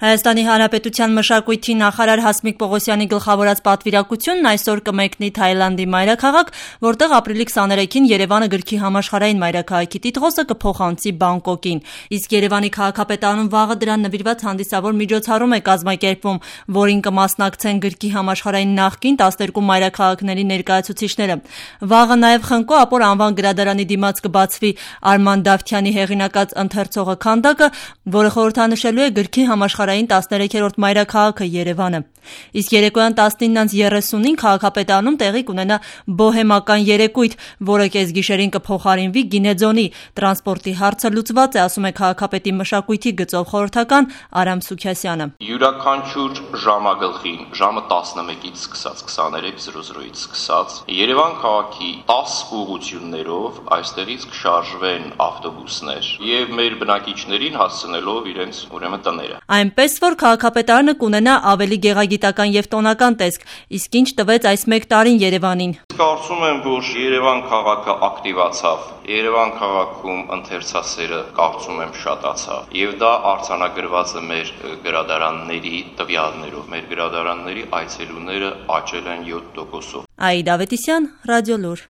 Հայաստանի Հանրապետության մշակույթի նախարար Հասմիկ Պողոսյանի գլխավորած պատվիրակությունն այսօր կմեկնի Թայլանդի մայրաքաղաք, որտեղ ապրիլի 23-ին Երևանը գրքի համաշխարհային մայրաքաղաքի տիտղոսը կփոխանցի Բանգկոկին։ Իսկ Երևանի քաղաքապետարանում վաղը դրան նվիրված հանդիսավոր միջոցառում է կազմակերպվում, որին կմասնակցեն գրքի համաշխարհային նախկին 12 մայրաքաղաքների ներկայացուցիչները։ Վաղը նաև Խնկո Ապոր անվան գրադարանի դիմաց կբացվի Արման Դավթյանի հեղինակած ընթերցողը քանդակը, որը խորհրդանշելու է գրքի համաշխարհային 13-րդ մայրաքաղաքը Երևանը։ Իսկ երեկոյան 19:30-ին քաղաքապետարանում տեղի կունենա բոհեմական երեկույթ, որը կեսգիշերին կփոխարինվի Գինեձոնի։ Տրանսպորտի հարցը լուծված է, ասում է քաղաքապետի մշակույթի գծով խորհրդական Արամ Սուքյասյանը։ Յուրաքանչյուր ժամագլխին, ժամը 11-ից սկսած, 23:00-ից սկսած, Երևան քաղաքի 10 ուղղություններով այստեղից կշարժվեն ավտոբուսներ եւ մեր բնակիչներին հասցնելով իրենց ուրեմն տները։ Այնպես որ քաղաքապետարանը կունենա ավելի գեղագիտական եւ տոնական տեսք, իսկ ինչ տվեց այս մեկ տարին Երևանին։ Կարծում եմ, որ Երևան քաղաքը ակտիվացավ, Երևան քաղաքում ընթերցասերը կարծում եմ շատացավ եւ դա արձանագրված է մեր գրադարանների տվյալներով։ Մեր գրադարանների այցելուները աճել են 7%-ով։ Աիդա Ավետիսյան, Ռադիոլուր։